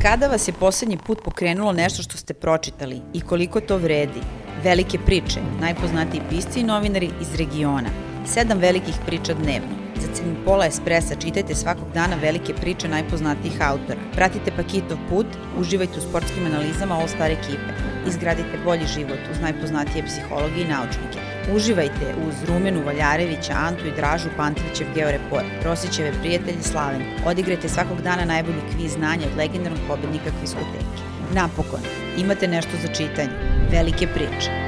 Kada vas je poslednji put pokrenulo nešto što ste pročitali i koliko to vredi? Velike priče, najpoznatiji pisci i novinari iz regiona. 7 velikih priča dnevno. Za cenu pola espresa čitajte svakog dana velike priče najpoznatijih autora. Pratite Pakitov put, uživajte u sportskim analizama All Star ekipe. Izgradite bolji život uz najpoznatije psihologe i naučnike. Uživajte uz Rumenu Valjarevića, Antu i Dražu Pantovićev Georeport, Rosićeve prijatelje Slavenku. Odigrajte svakog dana najbolji kviz znanja od legendarnog pobednika Kviskoteke. Napokon, imate nešto za čitanje. Velike priče.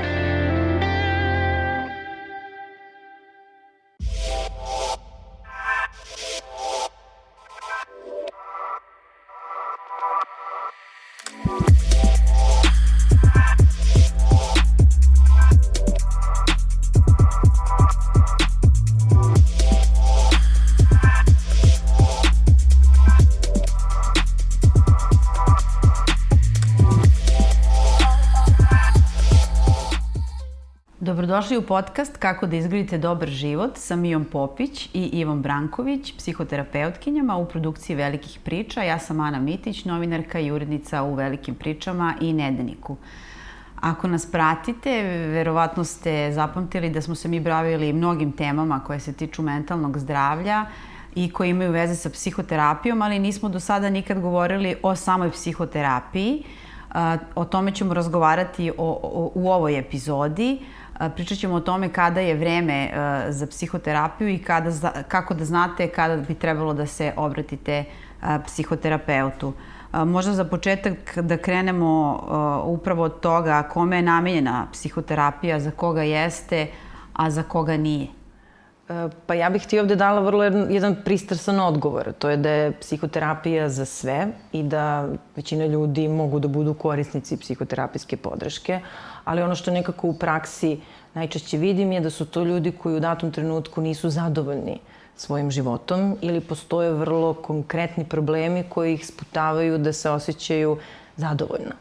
Dobrodošli u podcast Kako da izgradite dobar život sa Mijom Popić i Ivom Branković, psihoterapeutkinjama u produkciji Velikih priča. Ja sam Ana Mitić, novinarka i urednica u Velikim pričama i Nedeljniku. Ako nas pratite, verovatno ste zapamtili da smo se mi bavili mnogim temama koje se tiču mentalnog zdravlja i koje imaju veze sa psihoterapijom, ali nismo do sada nikad govorili o samoj psihoterapiji. O tome ćemo razgovarati u ovoj epizodi. Pričat ćemo o tome kada je vreme za psihoterapiju i kako da znate kada bi trebalo da se obratite psihoterapeutu. Možda za početak da krenemo upravo od toga kome je namenjena psihoterapija, za koga jeste, a za koga nije. Pa ja bih ti ovde dala vrlo jedan pristrasan odgovor. To je da je psihoterapija za sve i da većina ljudi mogu da budu korisnici psihoterapijske podrške, ali ono što nekako u praksi najčešće vidim je da su to ljudi koji u datom trenutku nisu zadovoljni svojim životom ili postoje vrlo konkretni problemi koji ih sputavaju da se osjećaju zadovoljno.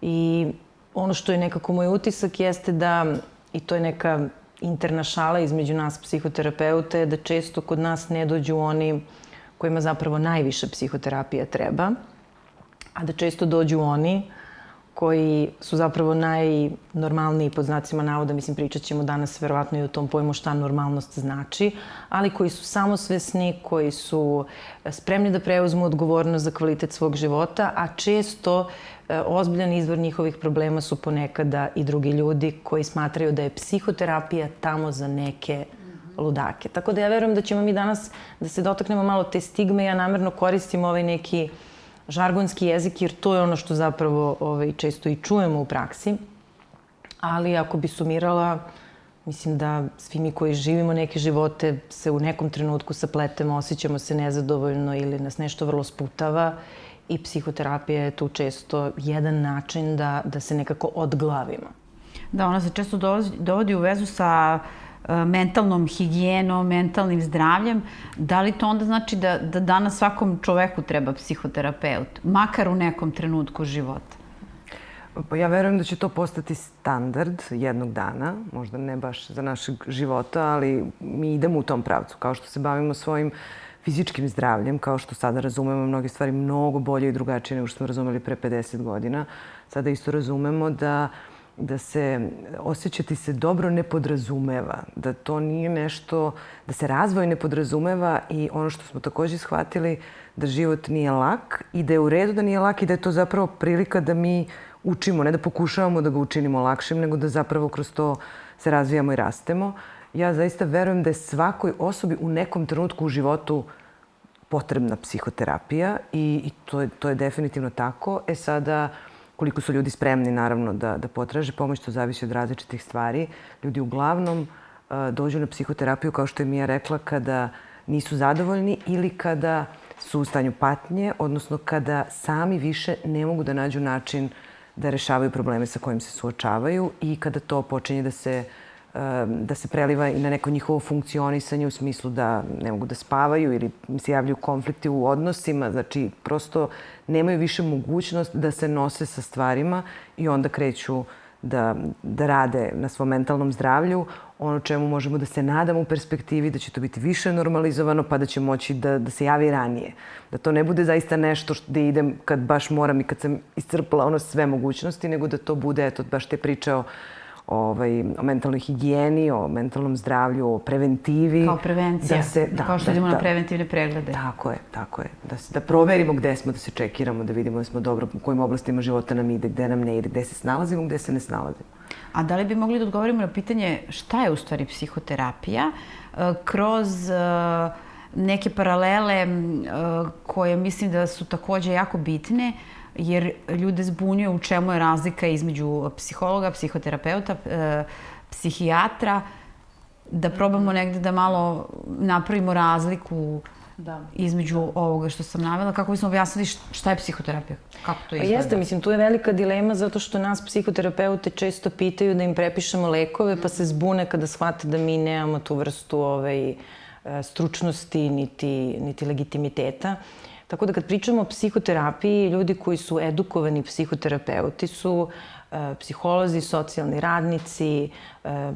I ono što je nekako moj utisak jeste da, i to je neka interna šala između nas psihoterapeuta, je da često kod nas ne dođu oni kojima zapravo najviše psihoterapija treba, a da često dođu oni koji su zapravo najnormalniji, pod znacima navoda, mislim, pričat ćemo danas verovatno i o tom pojmu šta normalnost znači, ali koji su samosvesni, koji su spremni da preuzmu odgovornost za kvalitet svog života, a često ozbiljan izvor njihovih problema su ponekada i drugi ljudi koji smatraju da je psihoterapija tamo za neke ludake. Tako da ja verujem da ćemo mi danas da se dotaknemo malo te stigme. Ja namerno koristim ovaj neki žargonski jezik, jer to je ono što zapravo često i čujemo u praksi. Ali ako bi sumirala, mislim da svi mi koji živimo neke živote se u nekom trenutku sapletemo, osjećamo se nezadovoljno ili nas nešto vrlo sputava i psihoterapija je tu često jedan način da se nekako odglavimo. Da, ona se često dovodi u vezu sa mentalnom higijenom, mentalnim zdravljem. Da li to onda znači da danas svakom čoveku treba psihoterapeut, makar u nekom trenutku života? Pa ja verujem da će to postati standard jednog dana, možda ne baš za našeg života, ali mi idemo u tom pravcu. Kao što se bavimo svojim fizičkim zdravljem, kao što sada razumemo mnoge stvari mnogo bolje i drugačije nego što smo razumeli pre 50 godina, sada isto razumemo da se osjećati se dobro ne podrazumeva, da to nije nešto, da se razvoj ne podrazumeva i ono što smo takođe shvatili da život nije lak i da je u redu da nije lak i da je to zapravo prilika da mi učimo, ne da pokušavamo da ga učinimo lakšim, nego da zapravo kroz to se razvijamo i rastemo. Ja zaista verujem da je svakoj osobi u nekom trenutku u životu potrebna psihoterapija i to je definitivno tako. Sada, koliko su ljudi spremni, naravno, da potraže pomoć, to zavisi od različitih stvari. Ljudi uglavnom dođu na psihoterapiju, kao što je Mija rekla, kada nisu zadovoljni ili kada su u stanju patnje, odnosno kada sami više ne mogu da nađu način da rešavaju probleme sa kojim se suočavaju i kada to počinje da se preliva i na neko njihovo funkcionisanje u smislu da ne mogu da spavaju ili se javljaju konflikti u odnosima. Znači, prosto nemaju više mogućnost da se nose sa stvarima i onda kreću da rade na svom mentalnom zdravlju. ono čemu možemo da se nadamo u perspektivi, da će to biti više normalizovano, pa da će moći da se javi ranije. Da to ne bude zaista nešto gde idem kad baš moram i kad sam iscrpala sve mogućnosti, nego da to bude, eto, baš te priče o mentalnoj higijeni, o mentalnom zdravlju, o preventivi. Kao prevencija, kao što idemo na preventivne preglede. Tako je. Da proverimo gde smo, da se čekiramo, da vidimo da smo dobro, u kojim oblastima života nam ide, gde nam ne ide, gde se snalazimo, gde se ne snalazimo. A da li bi mogli da odgovorimo na pitanje šta je u stvari psihoterapija kroz neke paralele koje mislim da su takođe jako bitne, jer ljude zbunjuje u čemu je razlika između psihologa, psihoterapeuta, psihijatra, da probamo negde da malo napravimo razliku između ovoga što sam navela, kako bismo objasnili šta je psihoterapija, kako to izgleda. Jeste, mislim, tu je velika dilema zato što nas psihoterapeute često pitaju da im prepišemo lekove, pa se zbune kada shvate da mi nemamo tu vrstu stručnosti niti legitimiteta. Tako da kad pričamo o psihoterapiji, ljudi koji su edukovani psihoterapeuti su psiholozi, socijalni radnici,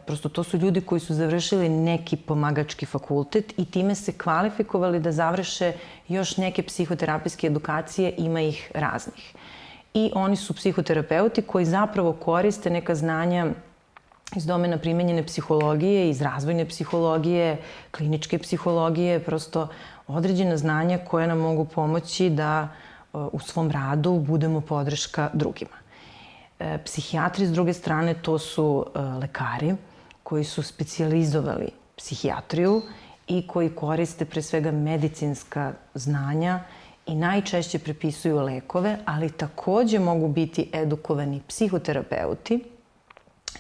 prosto to su ljudi koji su završili neki pomagački fakultet i time se kvalifikovali da završe još neke psihoterapijske edukacije, ima ih raznih. I oni su psihoterapeuti koji zapravo koriste neka znanja iz domena primenjene psihologije, iz razvojne psihologije, kliničke psihologije, prosto određena znanja koje nam mogu pomoći da u svom radu budemo podrška drugima. Psihijatri, s druge strane, to su lekari koji su specijalizovali psihijatriju i koji koriste pre svega medicinska znanja i najčešće prepisuju lekove, ali takođe mogu biti edukovani psihoterapeuti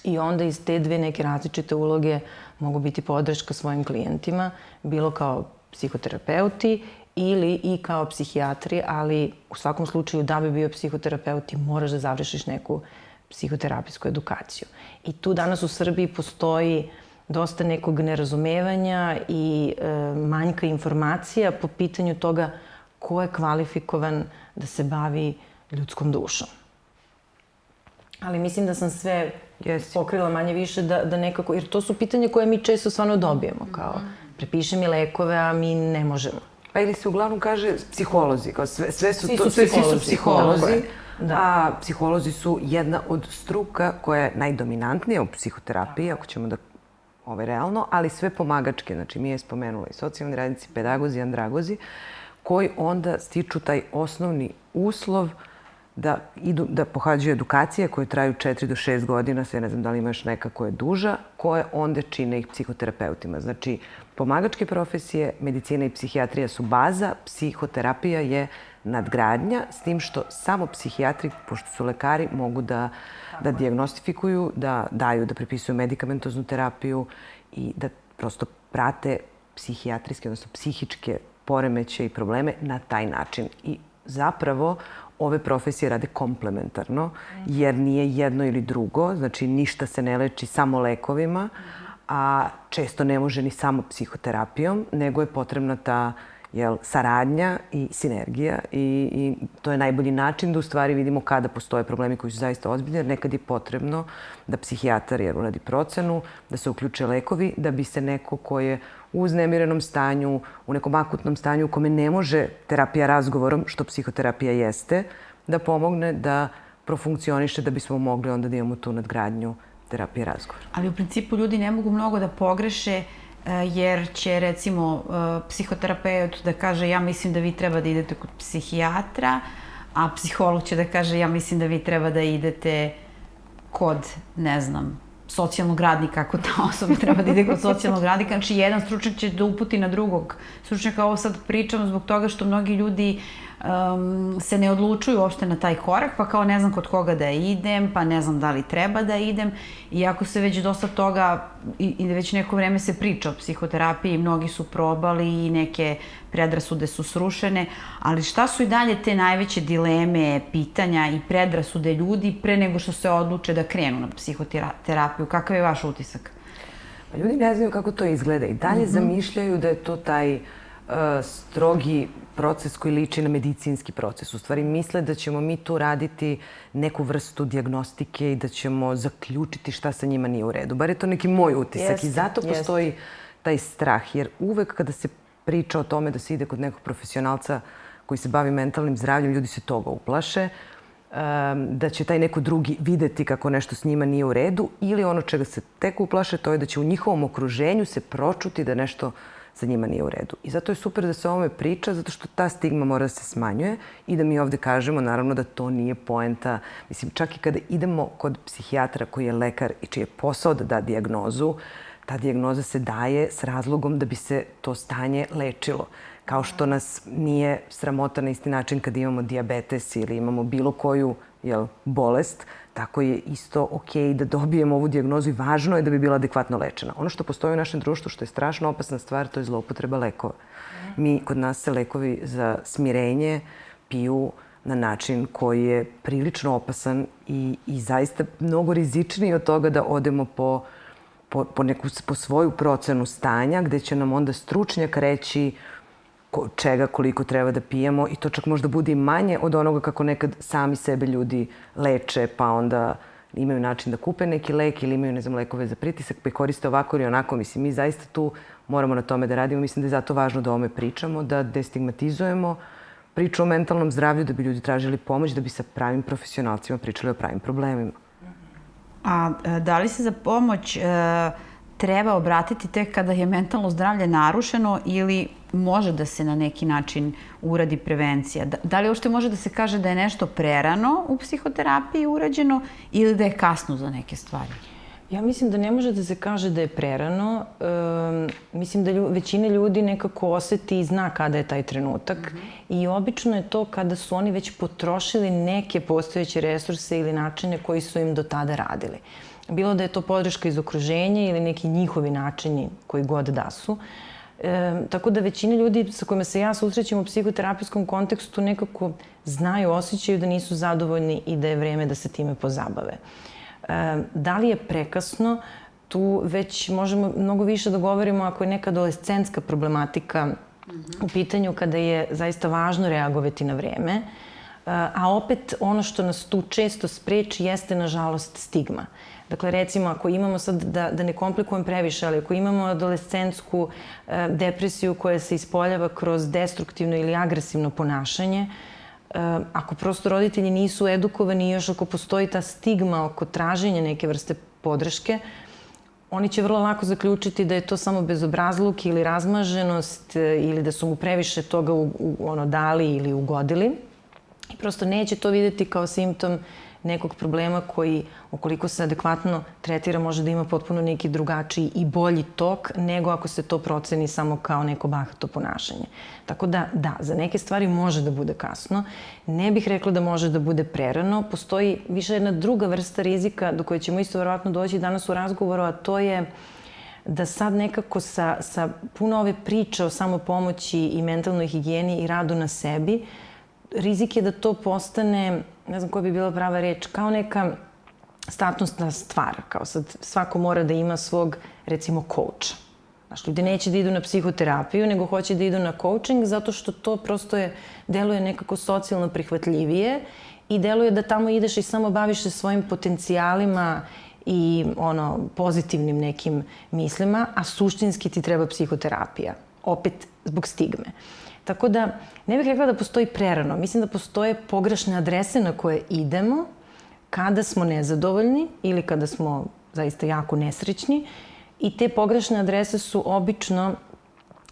i onda iz te dve neke različite uloge mogu biti podrška svojim klijentima, bilo kao psihoterapeuti ili i kao psihijatri, ali u svakom slučaju da bi bio psihoterapeut ti moraš da završiš neku psihoterapijsku edukaciju. I tu danas u Srbiji postoji dosta nekog nerazumevanja i manjka informacija po pitanju toga ko je kvalifikovan da se bavi ljudskom dušom. Ali mislim da sam sve pokrila manje više da nekako, jer to su pitanja koje mi često stvarno dobijemo, kao prepiše mi lekove, a mi ne možemo. Pa ili se uglavnom kaže psiholozi, kao svi su psiholozi, a psiholozi su jedna od struka koja je najdominantnija u psihoterapiji, ako ćemo da realno, ali sve pomagačke, znači mi je spomenula i socijalni radnici, pedagozi, andragozi, koji onda stiču taj osnovni uslov da pohađaju edukacije koje traju 4 do 6 godina, sve ne znam da li ima još neka koja je duža, koje onda čine ih psihoterapeutima. Znači, pomagačke profesije, medicina i psihijatrija su baza, psihoterapija je nadgradnja, s tim što samo psihijatri, pošto su lekari, mogu da dijagnostifikuju, da prepisuju medikamentoznu terapiju i da prosto prate psihijatrijske, odnosno psihičke poremeće i probleme na taj način. I zapravo ove profesije rade komplementarno, jer nije jedno ili drugo, znači ništa se ne leči samo lekovima, a često ne može ni samo psihoterapijom, nego je potrebna ta saradnja i sinergija i to je najbolji način da u stvari vidimo kada postoje problemi koji su zaista ozbiljni, jer nekad je potrebno da psihijatar uradi procenu, da se uključe lekovi, da bi se neko ko je u uznemirenom stanju, u nekom akutnom stanju u kome ne može terapija razgovorom, što psihoterapija jeste, da pomogne da profunkcioniše, da bismo mogli onda da imamo tu nadgradnju terapije razgovora. Ali u principu ljudi ne mogu mnogo da pogreše jer će recimo psihoterapeut da kaže ja mislim da vi treba da idete kod psihijatra, a psiholog će da kaže ja mislim da vi treba da idete kod, ne znam, socijalnog radnika, ako ta osoba treba da ide kod socijalnog radnika. Znači, jedan stručnjak će da uputi na drugog stručnjaka. Ovo sad pričam zbog toga što mnogi ljudi se ne odlučuju uopšte na taj korak, pa kao ne znam kod koga da idem, pa ne znam da li treba da idem. Iako se već dosta toga i već neko vreme se priča o psihoterapiji, mnogi su probali i neke predrasude su srušene, ali šta su i dalje te najveće dileme, pitanja i predrasude ljudi pre nego što se odluče da krenu na psihoterapiju? Kakav je vaš utisak? Ljudi ne znaju kako to izgleda i dalje zamišljaju da je to taj strogi proces koji liči na medicinski proces. U stvari misle da ćemo mi tu raditi neku vrstu dijagnostike i da ćemo zaključiti šta sa njima nije u redu. Bar je to neki moj utisak i zato postoji taj strah. Jer uvek kada se priča o tome da se ide kod nekog profesionalca koji se bavi mentalnim zdravljem, ljudi se toga uplaše, da će taj neko drugi videti kako nešto s njima nije u redu ili ono čega se tek uplaše, to je da će u njihovom okruženju se pročuti da nešto sa njima nije u redu. I zato je super da se o ovome priča, zato što ta stigma mora da se smanjuje i da mi ovde kažemo, naravno, da to nije poenta. Mislim, čak i kada idemo kod psihijatra koji je lekar i čiji je posao da da dijagnozu, ta dijagnoza se daje s razlogom da bi se to stanje lečilo. Kao što nas nije sramota na isti način kad imamo dijabetes ili imamo bilo koju bolest, tako je isto okej da dobijemo ovu dijagnozu i važno je da bi bila adekvatno lečena. Ono što postoji u našem društvu, što je strašno opasna stvar, to je zloupotreba lekova. Kod nas se lekovi za smirenje piju na način koji je prilično opasan i zaista mnogo rizičniji od toga da odemo po svoju procenu stanja, gde će nam onda stručnjak reći čega, koliko treba da pijemo i to čak možda bude i manje od onoga kako nekad sami sebe ljudi leče, pa onda imaju način da kupe neki lek ili imaju, ne znam, lekove za pritisak, pa ih koriste ovako ili onako. Mislim, mi zaista tu moramo na tome da radimo. Mislim da je zato važno da o ome pričamo, da destigmatizujemo priču o mentalnom zdravlju, da bi ljudi tražili pomoć, da bi sa pravim profesionalcima pričali o pravim problemima. A da li se za pomoć treba obratiti tek kada je mentalno zdravlje narušeno ili može da se na neki način uradi prevencija? Da li uopšte može da se kaže da je nešto prerano u psihoterapiji urađeno ili da je kasno za neke stvari? Ja mislim da ne može da se kaže da je prerano. Mislim da većina ljudi nekako oseti i zna kada je taj trenutak. I obično je to kada su oni već potrošili neke postojeće resurse ili načine koji su im do tada radili. Bilo da je to podrška iz okruženja ili neki njihovi načini koji god da su. Tako da većina ljudi sa kojima se ja susrećem u psihoterapijskom kontekstu nekako znaju, osjećaju da nisu zadovoljni i da je vreme da se time pozabave. Da li je prekasno? Tu već možemo mnogo više da govorimo ako je neka adolescentska problematika u pitanju kada je zaista važno reagovati na vreme. A opet ono što nas tu često spreči jeste, nažalost, stigma. Dakle, recimo, ako imamo sad, da ne komplikujem previše, ali ako imamo adolescentsku depresiju koja se ispoljava kroz destruktivno ili agresivno ponašanje, ako prosto roditelji nisu edukovani i još ako postoji ta stigma oko traženja neke vrste podrške, oni će vrlo lako zaključiti da je to samo bezobrazluk ili razmaženost ili da su mu previše toga dali ili ugodili. I prosto neće to videti kao simptom nekog problema koji, ukoliko se adekvatno tretira, može da ima potpuno neki drugačiji i bolji tok nego ako se to proceni samo kao neko bahato ponašanje. Tako da, za neke stvari može da bude kasno. Ne bih rekla da može da bude prerano. Postoji više jedna druga vrsta rizika do koje ćemo isto verovatno doći danas u razgovoru, a to je da sad nekako sa puno ove priče o samopomoći i mentalnoj higijeni i radu na sebi, rizik je da to postane, ne znam koja bi bila prava reč, kao neka statusna stvar. Kao sad svako mora da ima svog, recimo, coacha. Znaš, ljudi neće da idu na psihoterapiju, nego hoće da idu na coaching zato što to prosto deluje nekako socijalno prihvatljivije i deluje da tamo ideš i samo baviš se svojim potencijalima i pozitivnim nekim mislima, a suštinski ti treba psihoterapija. Opet zbog stigme. Tako da, ne bih rekla da postoji prerano. Mislim da postoje pogrešne adrese na koje idemo kada smo nezadovoljni ili kada smo zaista jako nesrećni. I te pogrešne adrese su obično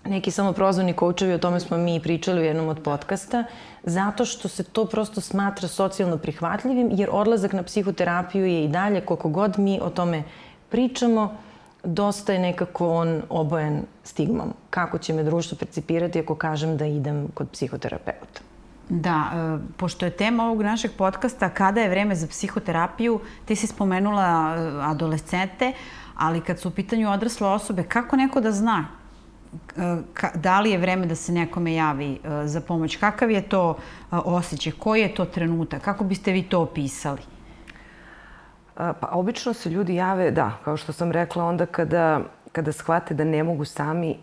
neki samoprozvani koučevi, o tome smo mi pričali u jednom od podcasta, zato što se to prosto smatra socijalno prihvatljivim, jer odlazak na psihoterapiju je i dalje, koliko god mi o tome pričamo, dosta je nekako on obojen stigmom. Kako će me društvo percipirati ako kažem da idem kod psihoterapeuta? Da, pošto je tema ovog našeg podcasta kada je vreme za psihoterapiju, ti si spomenula adolescente, ali kad su u pitanju odrasle osobe, kako neko da zna da li je vreme da se nekome javi za pomoć? Kakav je to osjećaj? Koji je to trenutak? Kako biste vi to opisali? Pa obično se ljudi jave, da, kao što sam rekla, onda kada shvate da ne mogu sami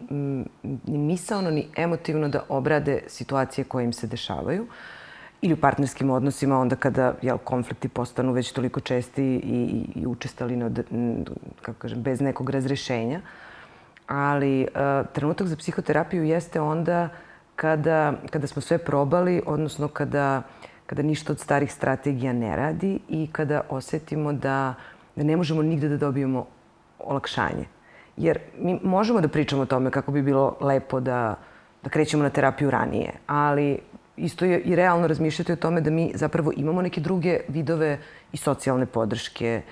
ni misaono ni emotivno da obrade situacije koje im se dešavaju ili u partnerskim odnosima, onda kada konflikti postanu već toliko česti i učestali bez nekog razrešenja. Ali trenutak za psihoterapiju jeste onda kada smo sve probali, odnosno kada ništa od starih strategija ne radi i kada osetimo da ne možemo nigde da dobijemo olakšanje. Jer mi možemo da pričamo o tome kako bi bilo lepo da krećemo na terapiju ranije, ali isto je i realno razmišljati o tome da mi zapravo imamo neke druge vidove i socijalne podrške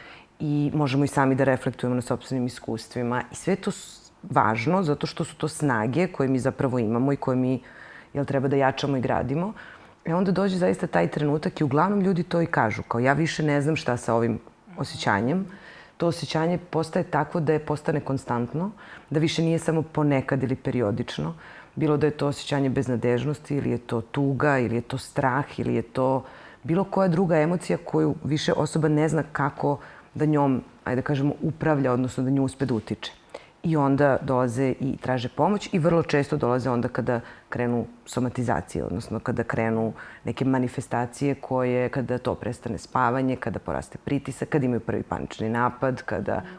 i možemo i sami da reflektujemo na sopstvenim iskustvima. I sve je to važno zato što su to snage koje mi zapravo imamo i koje mi treba da jačamo i gradimo. Onda dođe zaista taj trenutak i uglavnom ljudi to i kažu. Kao ja više ne znam šta sa ovim osjećanjem. To osjećanje postaje takvo da je postane konstantno, da više nije samo ponekad ili periodično. Bilo da je to osjećanje beznadežnosti ili je to tuga ili je to strah ili je to bilo koja druga emocija koju više osoba ne zna kako da njom, ajde da kažemo, upravlja, odnosno da nju uspe da utiče. I onda dolaze i traže pomoć i vrlo često dolaze onda kada krenu somatizacije, odnosno kada krenu neke manifestacije kada to prestane spavanje, kada poraste pritisak, kada imaju prvi panični napad,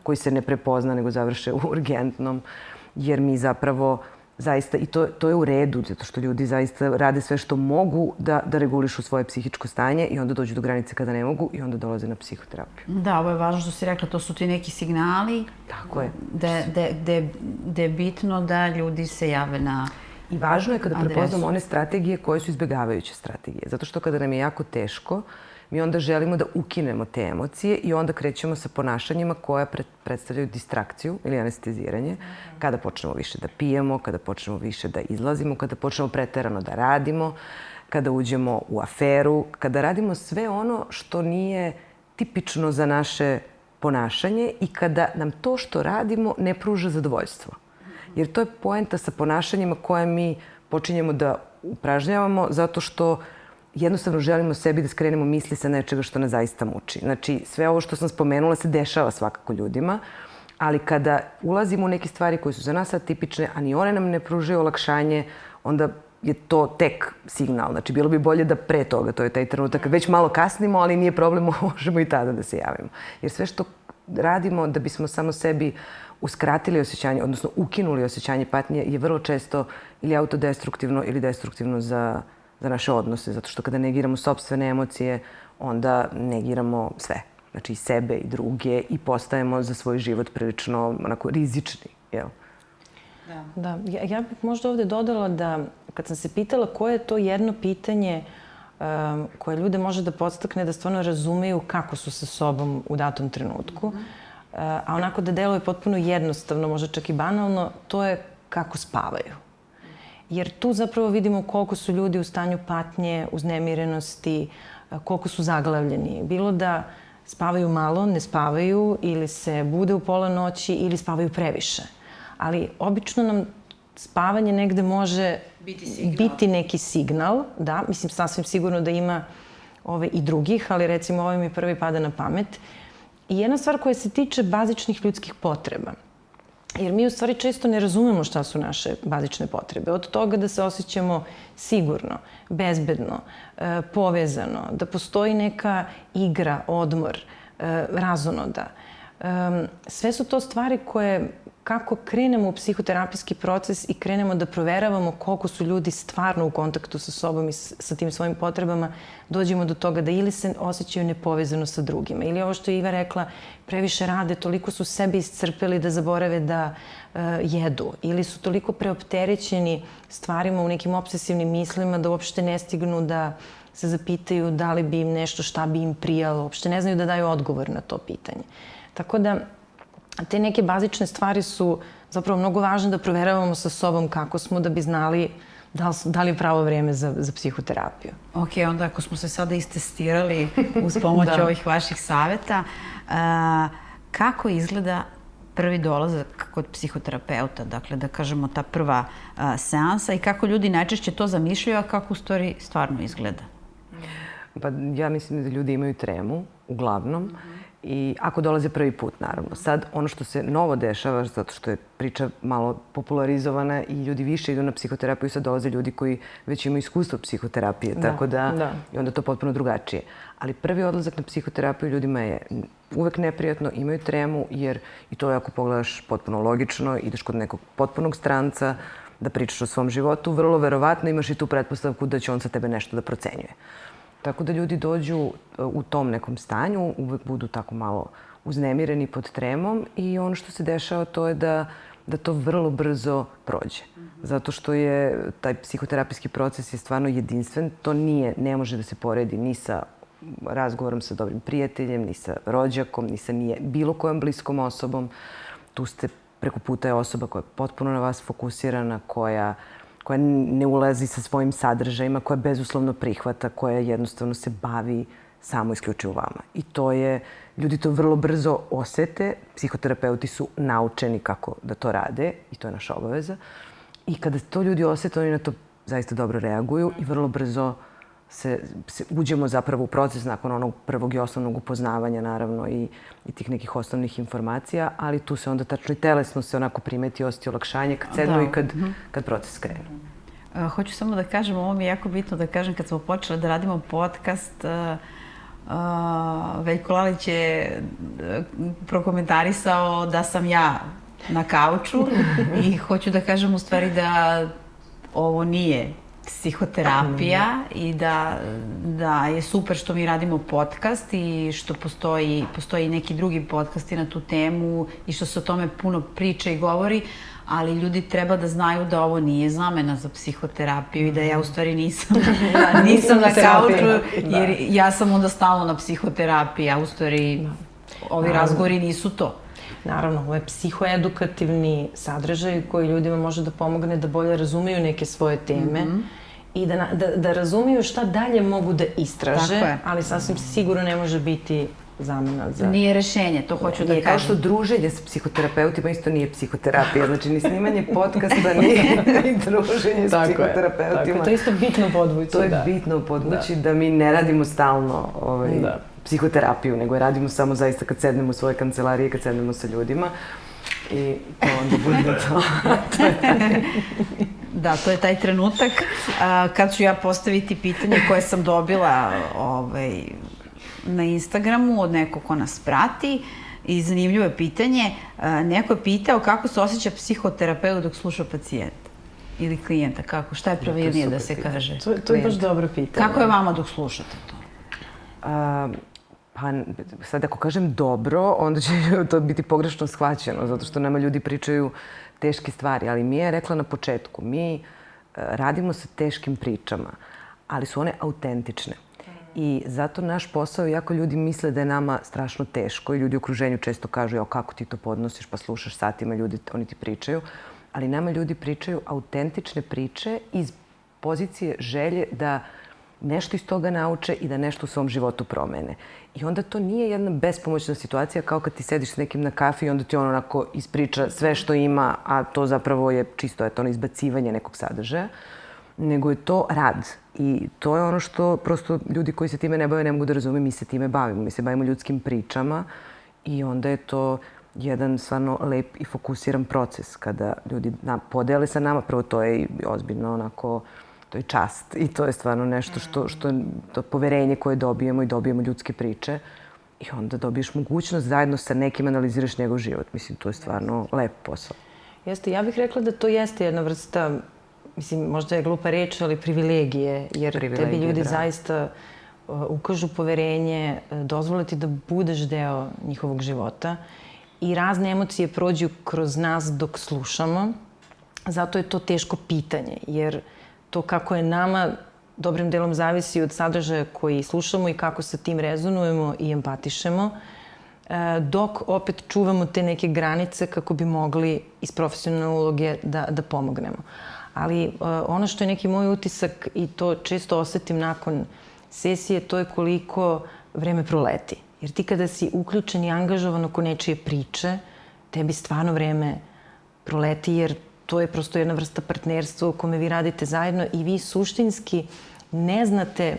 koji se ne prepozna nego završe u urgentnom, jer mi zapravo zaista, i to je u redu, zato što ljudi zaista rade sve što mogu da regulišu svoje psihičko stanje i onda dođu do granice kada ne mogu i onda dolaze na psihoterapiju. Da, ovo je važno što si rekla, to su ti neki signali. Tako je. Da je bitno da ljudi se jave na I važno je kada prepoznamo one strategije koje su izbjegavajuće strategije. Zato što kada nam je jako teško, mi onda želimo da ukinemo te emocije i onda krećemo sa ponašanjima koja predstavljaju distrakciju ili anesteziranje. Kada počnemo više da pijemo, kada počnemo više da izlazimo, kada počnemo preterano da radimo, kada uđemo u aferu, kada radimo sve ono što nije tipično za naše ponašanje i kada nam to što radimo ne pruža zadovoljstvo. Jer to je poenta sa ponašanjima koje mi počinjemo da upražnjavamo zato što jednostavno želimo sebi da skrenemo misli sa nečega što nas zaista muči. Znači, sve ovo što sam spomenula se dešava svakako ljudima, ali kada ulazimo u neke stvari koje su za nas atipične, a ni one nam ne pružaju olakšanje, onda je to tek signal. Znači, bilo bi bolje da pre toga, to je taj trenutak, već malo kasnimo, ali nije problem, možemo i tada da se javimo. Jer sve što radimo da bismo samo sebi uskratili osjećanje, odnosno ukinuli osjećanje patnje, je vrlo često ili autodestruktivno ili destruktivno za naše odnose. Zato što kada negiramo sopstvene emocije, onda negiramo sve. Znači i sebe i druge i postajemo za svoj život prilično onako rizični. Jel? Da, ja bih možda ovde dodala da kad sam se pitala koje je to jedno pitanje koje ljude može da podstakne da stvarno razumeju kako su sa sobom u datom trenutku, a onako da deluje potpuno jednostavno, možda čak i banalno, to je kako spavaju. Jer tu zapravo vidimo koliko su ljudi u stanju patnje, uznemirenosti, koliko su zaglavljeni. Bilo da spavaju malo, ne spavaju ili se bude u pola noći ili spavaju previše. Ali obično nam spavanje negde može biti neki signal. Da, mislim sasvim sigurno da ima i drugih, ali recimo ovaj mi prvi pada na pamet. I jedna stvar koja se tiče bazičnih ljudskih potreba. Jer mi u stvari često ne razumemo šta su naše bazične potrebe. Od toga da se osjećamo sigurno, bezbedno, povezano, da postoji neka igra, odmor, razonoda. Sve su to stvari koje, kako krenemo u psihoterapijski proces i krenemo da proveravamo koliko su ljudi stvarno u kontaktu sa sobom i sa tim svojim potrebama, dođemo do toga da ili se osjećaju nepovezano sa drugima. Ili ovo što je Iva rekla, previše rade, toliko su sebe iscrpeli da zaborave da jedu. Ili su toliko preopterećeni stvarima u nekim obsesivnim mislima da uopšte ne stignu da se zapitaju da li bi im nešto, šta bi im prijalo. Uopšte ne znaju da daju odgovor na to pitanje. Tako da te neke bazične stvari su zapravo mnogo važne da proveravamo sa sobom kako smo da bi znali da li je pravo vreme za psihoterapiju. Ok, onda ako smo se sada istestirali uz pomoć ovih vaših saveta, kako izgleda prvi dolazak kod psihoterapeuta, dakle da kažemo ta prva seansa i kako ljudi najčešće to zamišljaju, a kako u stvari stvarno izgleda? Pa ja mislim da ljudi imaju tremu, uglavnom, I ako dolaze prvi put, naravno. Sad, ono što se novo dešava, zato što je priča malo popularizovana i ljudi više idu na psihoterapiju, sad dolaze ljudi koji već imaju iskustvo psihoterapije, tako da i onda to potpuno drugačije. Ali prvi odlazak na psihoterapiju ljudima je uvek neprijatno, imaju tremu, jer i to ako pogledaš potpuno logično, ideš kod nekog potpunog stranca da pričaš o svom životu, vrlo verovatno imaš i tu pretpostavku da će on sa tebe nešto da procenjuje. Tako da ljudi dođu u tom nekom stanju, uvek budu tako malo uznemireni pod tremom i ono što se dešava to je da to vrlo brzo prođe. Zato što je taj psihoterapijski proces je stvarno jedinstven. To ne može da se poredi ni sa razgovorom sa dobrim prijateljem, ni sa rođakom, ni sa bilo kojom bliskom osobom. Tu ste preko puta je osoba koja je potpuno na vas fokusirana, koja ne ulazi sa svojim sadržajima, koja bezuslovno prihvata, koja jednostavno se bavi samo isključivo vama. I ljudi to vrlo brzo osete. Psihoterapeuti su naučeni kako da to rade i to je naša obaveza. I kada to ljudi osete, oni na to zaista dobro reaguju i vrlo brzo uđemo zapravo u proces nakon onog prvog i osnovnog upoznavanja, naravno, i tih nekih osnovnih informacija, ali tu se onda tačno i telesno se onako primeti, osjeti olakšanje kad sednu i kad proces krene. Hoću samo da kažem, ovo mi je jako bitno da kažem, kad smo počeli da radimo podcast, Veljko Lalić je prokomentarisao da sam ja na kauču i hoću da kažem u stvari da ovo nije psihoterapija i da je super što mi radimo podcast i što postoji neki drugi podcasti na tu temu i što se o tome puno priča i govori, ali ljudi treba da znaju da ovo nije zamena za psihoterapiju i da ja u stvari nisam na kauču, jer ja sam onda stalno na psihoterapiji, a u stvari ovi razgovori nisu to. Naravno, ovo je psihoedukativni sadržaj koji ljudima može da pomogne da bolje razumeju neke svoje teme i da razumiju šta dalje mogu da istraže, ali sasvim sigurno ne može biti zamena za... Nije rešenje, to hoću da kažem. Kao što druženje s psihoterapeutima isto nije psihoterapija, znači ni snimanje podcasta, ni druženje s psihoterapeutima. To je isto bitno podvući. To je bitno podvući da mi ne radimo stalno psihoterapiju, nego je radimo samo zaista kad sednemo u svoje kancelarije, kad sednemo sa ljudima i to onda bude to. Da, to je taj trenutak kad ću ja postaviti pitanje koje sam dobila na Instagramu od nekog ko nas prati i zanimljivo je pitanje. Neko je pitao kako se osjeća psihoterapeut dok sluša pacijenta ili klijenta, kako, šta je pravilnije da se kaže? To je baš dobro pitanje. Kako je vama dok slušate to? Pa sad ako kažem dobro, onda će to biti pogrešno shvaćeno, zato što nama ljudi pričaju teške stvari, ali mi je rekla na početku, mi radimo sa teškim pričama, ali su one autentične. I zato naš posao, iako ljudi misle da je nama strašno teško i ljudi u okruženju često kažu jao kako ti to podnosiš pa slušaš satima, oni ti pričaju, ali nama ljudi pričaju autentične priče iz pozicije želje da nešto iz toga nauče i da nešto u svom životu promene. I onda to nije jedna bespomoćna situacija kao kad ti sediš s nekim na kafi i onda ti on onako ispriča sve što ima, a to zapravo je čisto ono izbacivanje nekog sadržaja, nego je to rad. I to je ono što prosto ljudi koji se time ne bave ne mogu da razume, mi se time bavimo. Mi se bavimo ljudskim pričama i onda je to jedan stvarno lep i fokusiran proces kada ljudi podele sa nama. Prvo to je ozbiljno onako, to je čast i to je stvarno nešto što to poverenje koje dobijemo i dobijemo ljudske priče i onda dobiješ mogućnost zajedno sa nekim analiziraš njegov život. Mislim, to je stvarno lep posao. Jeste, ja bih rekla da to jeste jedna vrsta, mislim, možda je glupa reč, ali privilegije, jer tebi ljudi zaista ukažu poverenje, dozvole ti da budeš deo njihovog života i razne emocije prođu kroz nas dok slušamo. Zato je to teško pitanje, jer to kako je nama dobrim delom zavisi od sadržaja koji slušamo i kako sa tim rezonujemo i empatišemo, dok opet čuvamo te neke granice kako bi mogli iz profesionalne uloge da pomognemo. Ali ono što je neki moj utisak i to često osetim nakon sesije, to je koliko vreme proleti. Jer ti kada si uključen i angažovan oko nečije priče, tebi stvarno vreme proleti jer to je prosto jedna vrsta partnerstva u kome vi radite zajedno i vi suštinski ne znate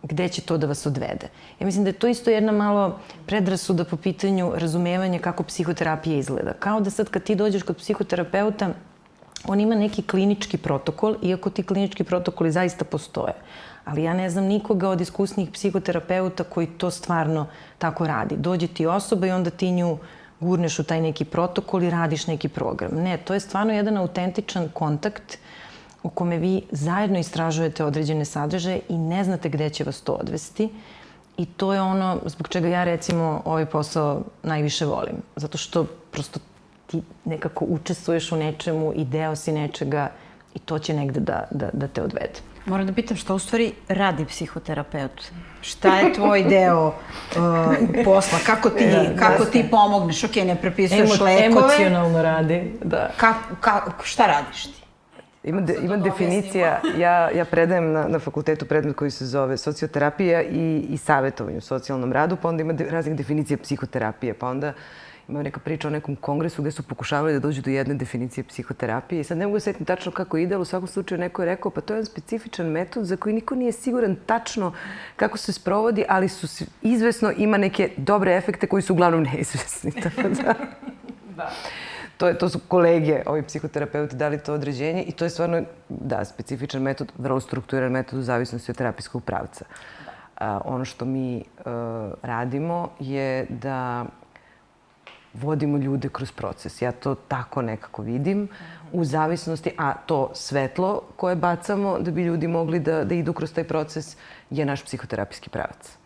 gde će to da vas odvede. Ja mislim da je to isto jedna malo predrasuda po pitanju razumevanja kako psihoterapija izgleda. Kao da sad kad ti dođeš kod psihoterapeuta, on ima neki klinički protokol, iako ti klinički protokoli zaista postoje. Ali ja ne znam nikoga od iskusnih psihoterapeuta koji to stvarno tako radi. Dođe ti osoba i onda ti nju gurneš u taj neki protokol i radiš neki program. Ne, to je stvarno jedan autentičan kontakt u kome vi zajedno istražujete određene sadržaje i ne znate gde će vas to odvesti. I to je ono zbog čega ja recimo ovaj posao najviše volim. Zato što prosto ti nekako učestvuješ u nečemu i deo si nečega i to će negde da te odvede. Moram da pitam šta u stvari radi psihoterapeut? Šta je tvoj deo posla? Kako ti pomogneš? Ok, ne prepisuješ lekove. Emocionalno radi, da. Šta radiš ti? Ima definicija, ja predajem na fakultetu predmet koji se zove socioterapija i savjetovanje u socijalnom radu, pa onda ima raznih definicija psihoterapije, pa onda ima neka priča o nekom kongresu gde su pokušavali da dođu do jedne definicije psihoterapije i sad ne mogu da setim tačno kako ide, ali u svakom slučaju neko je rekao pa to je jedan specifičan metod za koji niko nije siguran tačno kako se sprovodi, ali su izvesno ima neke dobre efekte koji su uglavnom neizvesni. Tako da. To su kolege, ovi psihoterapeuti, dali to određenje i to je stvarno, da, specifičan metod, vrlo strukturiran metod u zavisnosti od terapijskog pravca. Ono što mi radimo je da vodimo ljude kroz proces. Ja to tako nekako vidim u zavisnosti, a to svetlo koje bacamo da bi ljudi mogli da idu kroz taj proces je naš psihoterapijski pravac.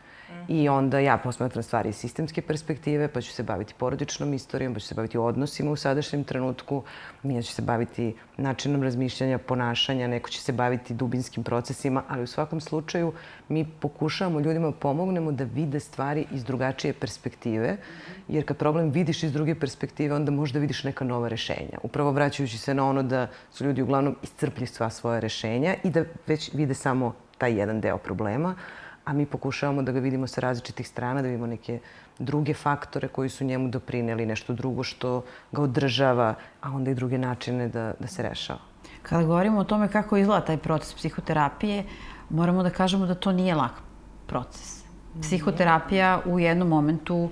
I onda ja posmatram stvari iz sistemske perspektive, pa ću se baviti porodičnom istorijom, pa ću se baviti odnosima u sadašnjem trenutku, Mija će se baviti načinom razmišljanja, ponašanja, neko će se baviti dubinskim procesima, ali u svakom slučaju mi pokušavamo ljudima pomognemo da vide stvari iz drugačije perspektive, jer kad problem vidiš iz druge perspektive, onda možda vidiš neka nova rešenja. Upravo vraćajući se na ono da su ljudi uglavnom iscrpli sva svoja rešenja i da već vide samo taj jedan deo problema, a mi pokušavamo da ga vidimo sa različitih strana, da vidimo neke druge faktore koji su njemu doprineli, nešto drugo što ga održava, a onda i druge načine da se rešava. Kada govorimo o tome kako izgleda taj proces psihoterapije, moramo da kažemo da to nije lak proces. Psihoterapija u jednom momentu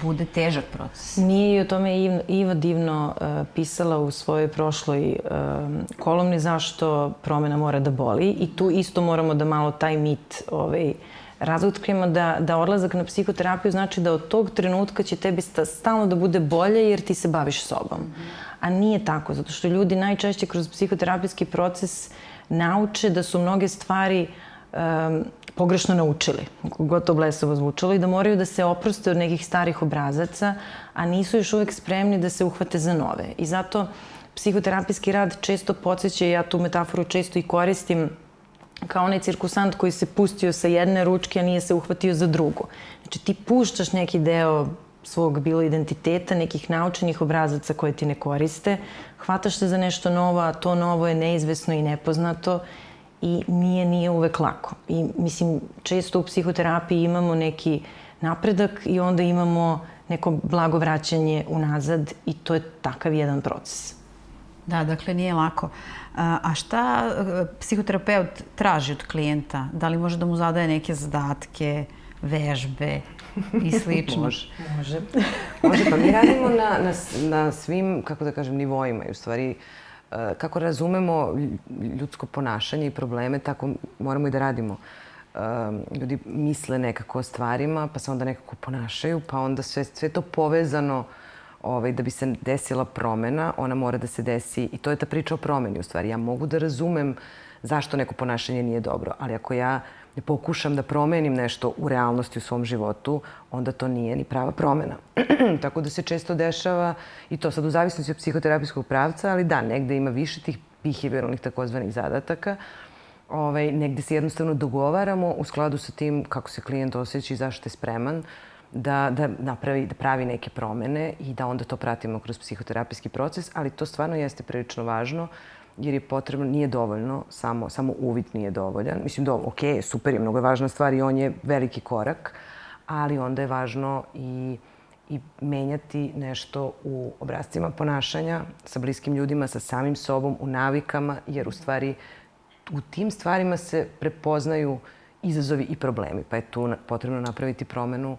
bude težak proces. Nije i o tome Iva divno pisala u svojoj prošloj kolumni zašto promena mora da boli i tu isto moramo da malo taj mit razotkrijemo da odlazak na psihoterapiju znači da od tog trenutka će tebi stalno da bude bolje jer ti se baviš sobom. A nije tako, zato što ljudi najčešće kroz psihoterapijski proces nauče da su mnoge stvari pogrešno naučili, gotovo blesovo zvučalo, i da moraju da se oproste od nekih starih obrazaca, a nisu još uvek spremni da se uhvate za nove. I zato psihoterapijski rad često podsjeća, ja tu metaforu često i koristim, kao onaj cirkusant koji se pustio sa jedne ručke, a nije se uhvatio za drugu. Znači ti puštaš neki deo svog bilo identiteta, nekih naučenih obrazaca koje ti ne koriste, hvataš se za nešto novo, a to novo je neizvesno i nepoznato i nije uvek lako. I mislim, često u psihoterapiji imamo neki napredak i onda imamo neko blago vraćanje unazad i to je takav jedan proces. Da, dakle, nije lako. A šta psihoterapeut traži od klijenta? Da li može da mu zadaje neke zadatke, vežbe i slično? Može. Pa mi radimo na svim, kako da kažem, nivoima i u stvari kako razumemo ljudsko ponašanje i probleme, tako moramo i da radimo. Ljudi misle nekako o stvarima, pa se onda nekako ponašaju, pa onda sve to povezano da bi se desila promena, ona mora da se desi i to je ta priča o promeni u stvari. Ja mogu da razumem zašto neko ponašanje nije dobro, ali ako ja ne pokušam da promenim nešto u realnosti u svom životu, onda to nije ni prava promena. Tako da se često dešava i to sad u zavisnosti od psihoterapijskog pravca, ali da, negde ima više tih behavioralnih takozvanih zadataka. Negde se jednostavno dogovaramo u skladu sa tim kako se klijent osjeća i zašto je spreman da pravi neke promene i da onda to pratimo kroz psihoterapijski proces, ali to stvarno jeste prilično važno jer je potrebno, nije dovoljno, samo uvid nije dovoljan. Mislim, ok, super je, mnogo je važna stvar i on je veliki korak, ali onda je važno i menjati nešto u obrascima ponašanja sa bliskim ljudima, sa samim sobom, u navikama, jer u stvari u tim stvarima se prepoznaju izazovi i problemi. Pa je tu potrebno napraviti promenu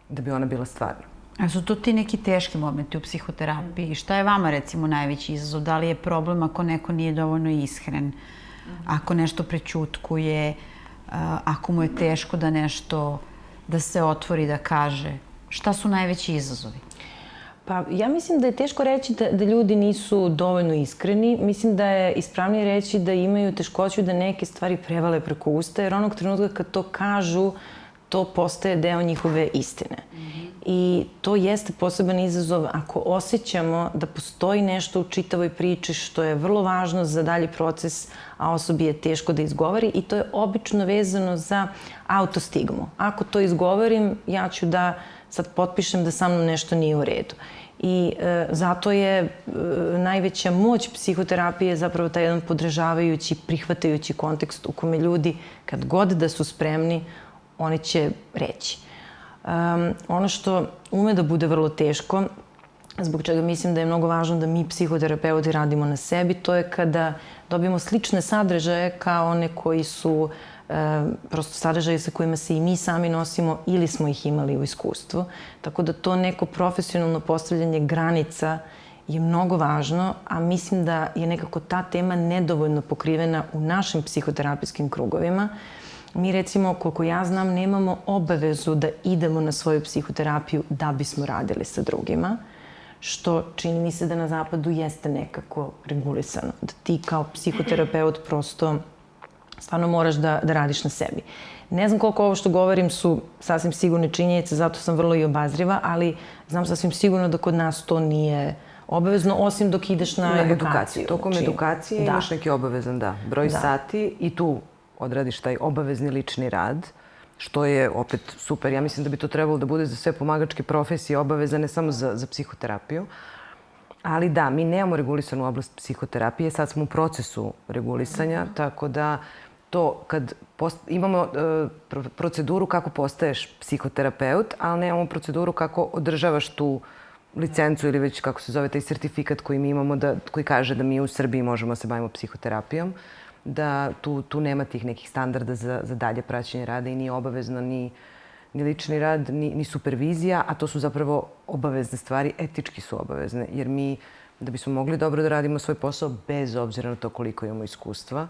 da bi ona bila stvarna. A su to ti neki teški momenti u psihoterapiji? Šta je vama recimo najveći izazov? Da li je problem ako neko nije dovoljno iskren? Ako nešto prećutkuje? Ako mu je teško da se otvori, da kaže? Šta su najveći izazovi? Pa ja mislim da je teško reći da ljudi nisu dovoljno iskreni. Mislim da je ispravnije reći da imaju teškoću da neke stvari prevale preko usta, jer onog trenutka kad to kažu, to postaje deo njihove istine. I to jeste poseban izazov ako osjećamo da postoji nešto u čitavoj priči što je vrlo važno za dalji proces, a osobi je teško da izgovori, i to je obično vezano za autostigmu. Ako to izgovorim, ja ću da sad potpišem da sa mnom nešto nije u redu. I zato je najveća moć psihoterapije zapravo taj jedan podržavajući, prihvatajući kontekst u kome ljudi, kad god da su spremni, oni će reći. Ono što ume da bude vrlo teško, zbog čega mislim da je mnogo važno da mi psihoterapeuti radimo na sebi, to je kada dobijemo slične sadržaje kao one koji su prosto sadržaje sa kojima se i mi sami nosimo ili smo ih imali u iskustvu. Tako da to neko profesionalno postavljanje granica je mnogo važno, a mislim da je nekako ta tema nedovoljno pokrivena u našim psihoterapijskim krugovima. Mi recimo, koliko ja znam, nemamo obavezu da idemo na svoju psihoterapiju da bismo radili sa drugima, što čini mi se da na zapadu jeste nekako regulisano. Da ti kao psihoterapeut prosto stvarno moraš da radiš na sebi. Ne znam koliko ovo što govorim su sasvim sigurne činjenice, zato sam vrlo i obazriva, ali znam sasvim sigurno da kod nas to nije obavezno, osim dok ideš na edukaciju. Tokom edukacije imaš neki obavezan, broj sati i tu odradiš taj obavezni lični rad, što je opet super. Ja mislim da bi to trebalo da bude za sve pomagačke profesije obavezane, samo za psihoterapiju. Ali da, mi nemamo regulisanu oblast psihoterapije, sad smo u procesu regulisanja, tako da to kad imamo proceduru kako postaješ psihoterapeut, ali nemamo proceduru kako održavaš tu licencu ili već kako se zove taj sertifikat koji mi imamo, koji kaže da mi u Srbiji možemo da se bavimo psihoterapijom, da tu nema tih nekih standarda za dalje praćenje rada i nije obavezno ni lični rad, ni supervizija, a to su zapravo obavezne stvari, etički su obavezne, jer mi, da bismo mogli dobro da radimo svoj posao, bez obzira na to koliko imamo iskustva,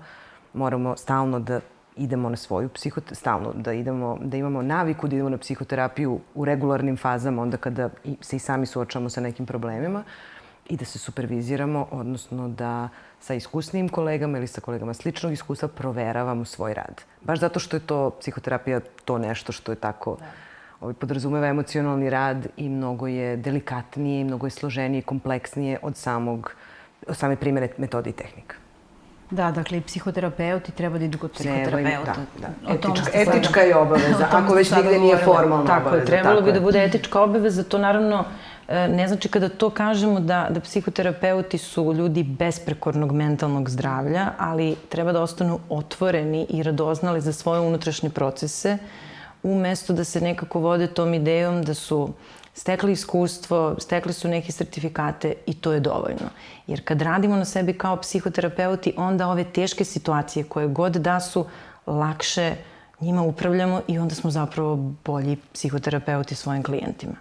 moramo stalno da idemo na svoju stalno da imamo naviku da idemo na psihoterapiju u regularnim fazama, onda kada se i sami suočavamo sa nekim problemima, i da se superviziramo, odnosno da sa iskusnijim kolegama ili sa kolegama sličnog iskustva proveravamo svoj rad. Baš zato što je to psihoterapija to nešto što je tako podrazumeva emocionalni rad i mnogo je delikatnije, mnogo je složenije i kompleksnije od same primjene metode i tehnika. Da, dakle i psihoterapeuti treba da idu kod psihoterapeuta. Etička je obaveza, ako već nigde nije formalna obaveza. Tako je, trebalo bi da bude etička obaveza, to naravno ne znači kada to kažemo da psihoterapeuti su ljudi besprekornog mentalnog zdravlja, ali treba da ostanu otvoreni i radoznali za svoje unutrašnje procese, umesto da se nekako vode tom idejom da su stekli iskustvo, stekli su neke sertifikate i to je dovoljno. Jer kad radimo na sebi kao psihoterapeuti, onda ove teške situacije koje god da su, lakše njima upravljamo i onda smo zapravo bolji psihoterapeuti svojim klijentima.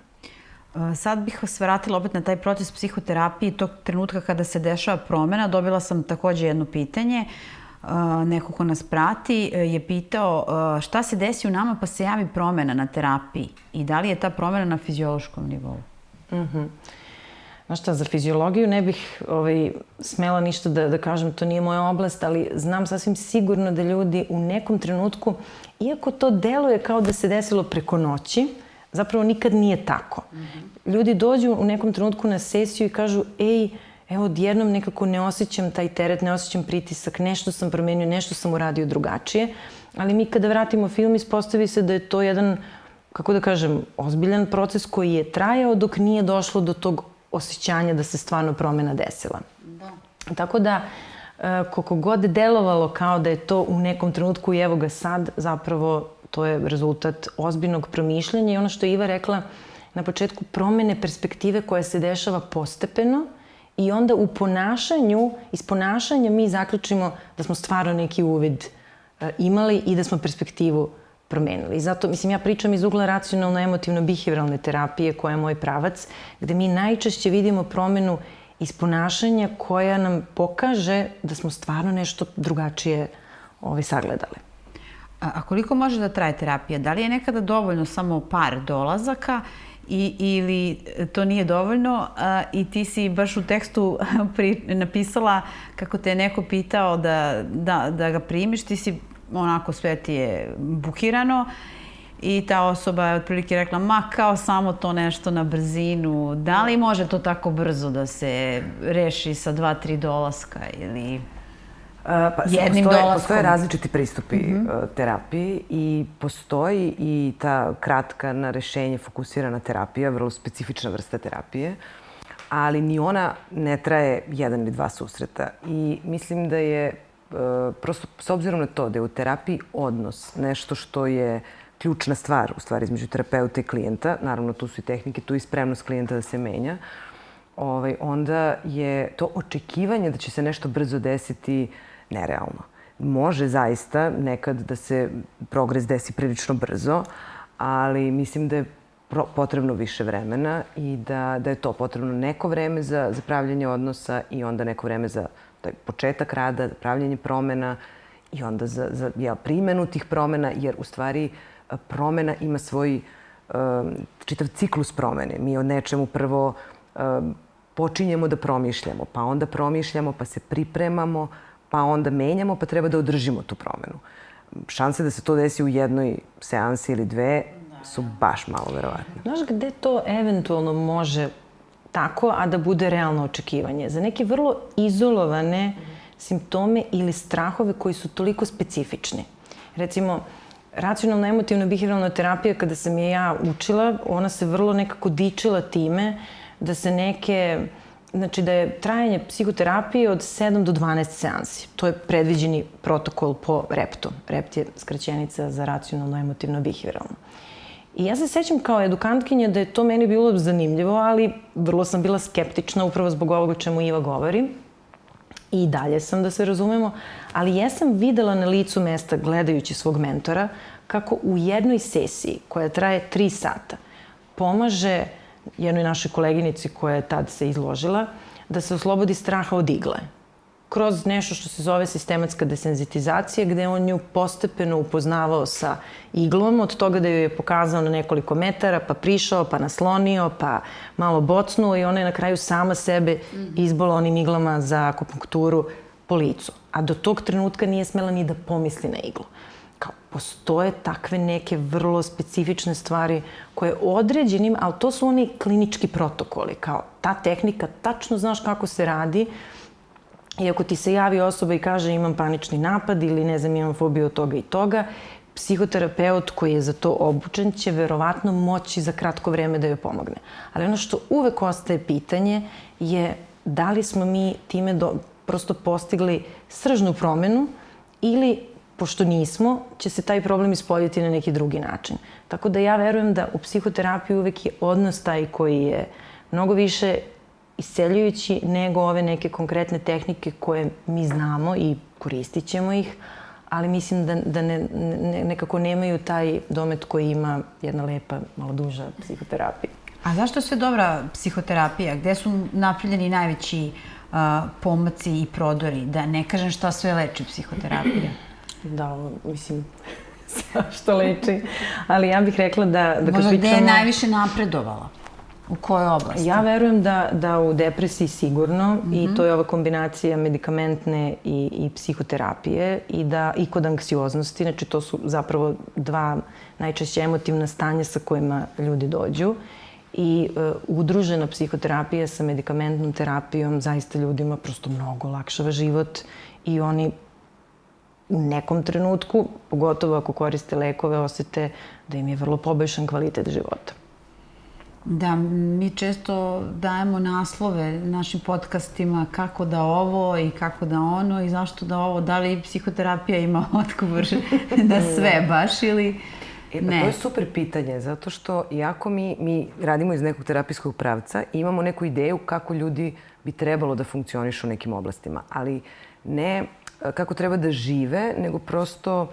Sad bih vas vratila opet na taj proces psihoterapije. Tog trenutka kada se dešava promena, dobila sam takođe jedno pitanje. Neko ko nas prati je pitao šta se desi u nama pa se javi promena na terapiji i da li je ta promena na fiziološkom nivou? Znaš šta, za fiziologiju ne bih smela ništa da kažem, to nije moja oblast, ali znam sasvim sigurno da ljudi u nekom trenutku, iako to deluje kao da se desilo preko noći, zapravo nikad nije tako. Ljudi dođu u nekom trenutku na sesiju i kažu, evo, odjednom nekako ne osjećam taj teret, ne osjećam pritisak, nešto sam promenio, nešto sam uradio drugačije, ali mi kada vratimo film ispostavi se da je to jedan, kako da kažem, ozbiljan proces koji je trajao dok nije došlo do tog osjećanja da se stvarno promena desila. Tako da, koliko god delovalo kao da je to u nekom trenutku i evo ga sad, zapravo to je rezultat ozbiljnog promišljanja i ono što je Iva rekla na početku, promene perspektive koja se dešava postepeno i onda u ponašanju, iz ponašanja mi zaključimo da smo stvarno neki uvid imali i da smo perspektivu promenili. I zato, mislim, ja pričam iz ugla racionalno-emotivno-behavioralne terapije, koja je moj pravac, gde mi najčešće vidimo promenu iz ponašanja koja nam pokaže da smo stvarno nešto drugačije sagledali. A koliko može da traje terapija? Da li je nekada dovoljno samo par dolazaka ili to nije dovoljno i ti si baš u tekstu napisala kako te je neko pitao da ga primiš, ti si onako sve ti je bukirano i ta osoba je otprilike rekla ma kao samo to nešto na brzinu, da li može to tako brzo da se reši sa 2-3 dolaska ili jednim dolaskom? Postoje različiti pristupi terapiji i postoji i ta kratka na rešenje fokusirana terapija, vrlo specifična vrsta terapije, ali ni ona ne traje 1 ili 2 susreta. I mislim da je prosto s obzirom na to da je u terapiji odnos nešto što je ključna stvar, u stvari, između terapeuta i klijenta, naravno tu su i tehnike, tu i spremnost klijenta da se menja, onda je to očekivanje da će se nešto brzo desiti nerealno. Može zaista nekad da se progres desi prilično brzo, ali mislim da je potrebno više vremena i da je to potrebno neko vreme za pravljanje odnosa i onda neko vreme za početak rada, pravljanje promena i onda za primjenu tih promena, jer u stvari promena ima svoj čitav ciklus promene. Mi o nečemu prvo počinjemo da promišljamo, pa onda promišljamo, pa se pripremamo, pa onda menjamo, pa treba da održimo tu promenu. Šanse da se to desi u jednoj seansi ili 2 su baš malo verovatne. Znaš gde to eventualno može tako, a da bude realno očekivanje? Za neke vrlo izolovane simptome ili strahove koji su toliko specifični. Recimo, racionalno-emotivno-behavioralna terapija, kada sam je ja učila, ona se vrlo nekako dičila time da se znači da je trajanje psihoterapije od 7 do 12 seansi. To je predviđeni protokol po REPT-u. REPT je skraćenica za racionalno-emotivno-behavioralno. I ja se sećam kao edukantkinja da je to meni bilo zanimljivo, ali vrlo sam bila skeptična upravo zbog ovoga o čemu Iva govori. I dalje sam, da se razumemo, ali jesam videla na licu mesta, gledajući svog mentora, kako u jednoj sesiji koja traje 3 sata pomaže jednoj našoj koleginici koja je tad se izložila da se oslobodi straha od igle. Kroz nešto što se zove sistematska desenzitizacija, gde on nju postepeno upoznavao sa iglom, od toga da ju je pokazao na nekoliko metara, pa prišao, pa naslonio, pa malo bocnuo i ona je na kraju sama sebe izbola onim iglama za akupunkturu po licu. A do tog trenutka nije smela ni da pomisli na iglu. Kao, postoje takve neke vrlo specifične stvari koje određenim, ali to su oni klinički protokoli. Kao, ta tehnika, tačno znaš kako se radi. I ako ti se javi osoba i kaže imam panični napad ili ne znam imam fobiju od toga i toga, psihoterapeut koji je za to obučen će verovatno moći za kratko vreme da joj pomogne. Ali ono što uvek ostaje pitanje je da li smo mi time prosto postigli sržnu promenu ili, pošto nismo, će se taj problem ispoljiti na neki drugi način. Tako da ja verujem da u psihoterapiji uvek je odnos taj koji je mnogo više isceljujući nego ove neke konkretne tehnike koje mi znamo i koristit ćemo ih, ali mislim da nekako nemaju taj domet koji ima jedna lepa, malo duža psihoterapija. A zašto je sve dobra psihoterapija? Gde su napravljeni najveći pomaci i prodori? Da ne kažem šta sve leči psihoterapija. Da, mislim, što leči. Ali ja bih rekla da kad možda gde je najviše napredovala? U kojoj oblasti? Ja verujem da u depresiji sigurno i to je ova kombinacija medikamentne i psihoterapije i kod anksioznosti. Znači, to su zapravo 2 najčešće emotivna stanja sa kojima ljudi dođu. I udružena psihoterapija sa medikamentnom terapijom zaista ljudima prosto mnogo olakšava život i oni u nekom trenutku, pogotovo ako koriste lekove, osete da im je vrlo poboljšan kvalitet života. Da, mi često dajemo naslove našim podcastima kako da ovo i kako da ono i zašto da ovo. Da li psihoterapija ima odgovor na sve baš ili ne? To je super pitanje, zato što iako mi radimo iz nekog terapijskog pravca i imamo neku ideju kako ljudi bi trebalo da funkcionišu u nekim oblastima, ali ne kako treba da žive, nego prosto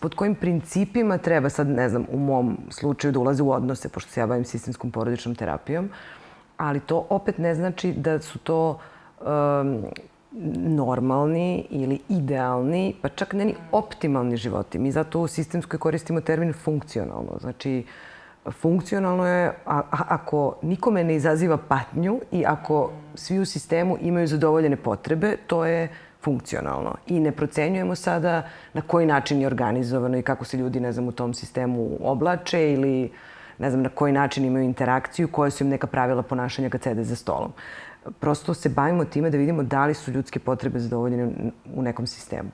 pod kojim principima treba sad, ne znam, u mom slučaju da ulaze u odnose, pošto se ja bavim sistemskom porodičnom terapijom, ali to opet ne znači da su to normalni ili idealni, pa čak ne ni optimalni životi. Mi zato u sistemskoj koristimo termin funkcionalno. Znači, funkcionalno je ako nikome ne izaziva patnju i ako svi u sistemu imaju zadovoljene potrebe, to je funkcionalno. I ne procenjujemo sada na koji način je organizovano i kako se ljudi, ne znam, u tom sistemu oblače ili, ne znam, na koji način imaju interakciju, koje su im neka pravila ponašanja kad sede za stolom. Prosto se bavimo time da vidimo da li su ljudske potrebe zadovoljene u nekom sistemu.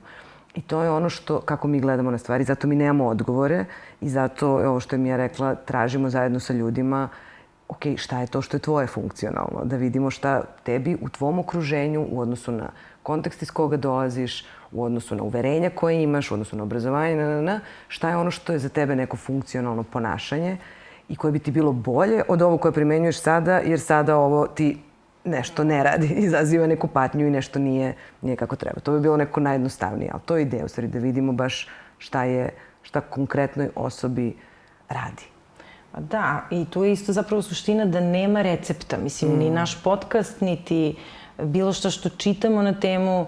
I to je ono kako mi gledamo na stvari. Zato mi nemamo odgovore i zato, ovo što je Mija rekla, tražimo zajedno sa ljudima ok, šta je to što je tvoje funkcionalno? Da vidimo šta tebi u tvom okruženju, u odnosu na kontekst iz koga dolaziš, u odnosu na uverenja koje imaš, u odnosu na obrazovanje, šta je ono što je za tebe neko funkcionalno ponašanje i koje bi ti bilo bolje od ovo koje primenjuješ sada, jer sada ovo ti nešto ne radi, izaziva neku patnju i nešto nije kako treba. To bi bilo neko najjednostavnije, ali to je ideja, u stvari, da vidimo baš šta konkretnoj osobi radi. Da, i tu je isto zapravo suština da nema recepta. Mislim, ni naš podcast, niti bilo što čitamo na temu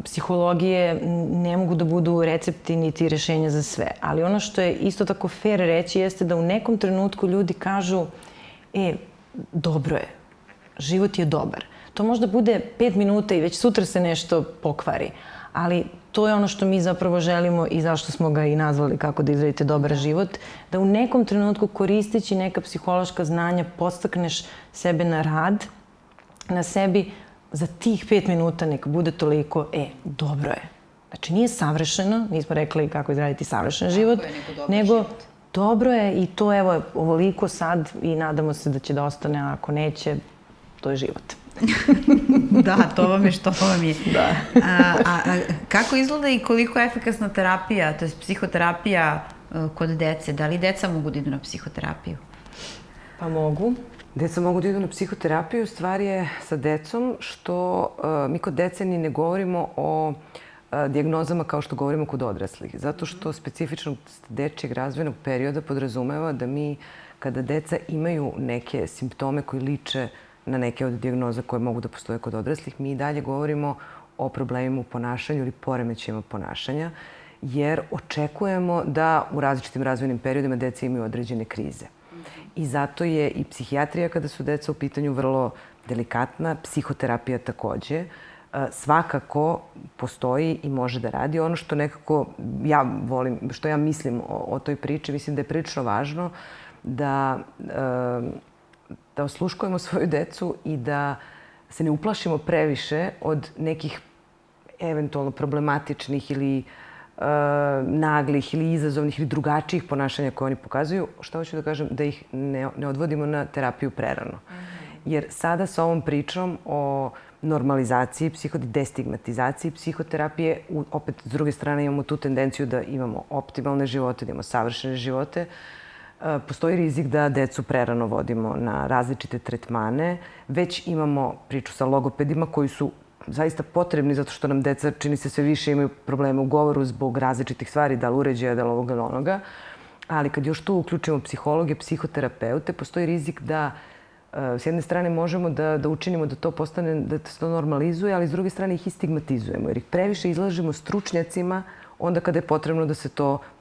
psihologije ne mogu da budu recepti niti rešenja za sve. Ali ono što je isto tako fair reći jeste da u nekom trenutku ljudi kažu dobro je, život je dobar. To možda bude 5 minuta i već sutra se nešto pokvari. Ali to je ono što mi zapravo želimo i zašto smo ga i nazvali kako da izradite dobar život. Da u nekom trenutku koristeći neka psihološka znanja podstakneš sebe na rad, na sebi za tih 5 minuta neka bude toliko, dobro je. Znači nije savršeno, nismo rekli kako izraditi savršen život, nego dobro je i to evo ovoliko sad i nadamo se da će da ostane, a ako neće, to je život. Da, to vam je što vam je. Da. A kako izgleda i koliko je efikasna terapija, to je psihoterapija kod dece? Da li deca mogu da idu na psihoterapiju? Pa mogu. Deca mogu da idu na psihoterapiju. Stvar je sa decom što mi kod dece ni ne govorimo o dijagnozama kao što govorimo kod odraslih. Zato što specifičnost dečjeg razvojnog perioda podrazumeva da mi, kada deca imaju neke simptome koji liče na neke od dijagnoza koje mogu da postoje kod odraslih, mi i dalje govorimo o problemima u ponašanju ili poremećajima ponašanja, jer očekujemo da u različitim razvojnim periodima deca imaju određene krize. I zato je i psihijatrija, kada su deca u pitanju, vrlo delikatna, psihoterapija takođe. Svakako postoji i može da radi. Ono što nekako ja volim, što ja mislim o toj priči, mislim da je prilično važno da osluškujemo svoju decu i da se ne uplašimo previše od nekih eventualno problematičnih ili naglih ili izazovnih ili drugačijih ponašanja koje oni pokazuju. Šta hoću da kažem? Da ih ne odvodimo na terapiju prerano. Jer sada sa ovom pričom o normalizaciji, destigmatizaciji psihoterapije, opet s druge strane imamo tu tendenciju da imamo optimalne živote, da imamo savršene živote. Postoji rizik da decu prerano vodimo na različite tretmane. Već imamo priču sa logopedima koji su zaista potrebni zato što nam deca, čini se, sve više imaju probleme u govoru zbog različitih stvari, da li uređaja, da li ovoga ili onoga. Ali kad još tu uključimo psihologe, psihoterapeute, postoji rizik da s jedne strane možemo da učinimo da to postane, da se to normalizuje, ali s druge strane ih i stigmatizujemo, jer ih previše izlažemo stručnjacima onda kada je potrebno da se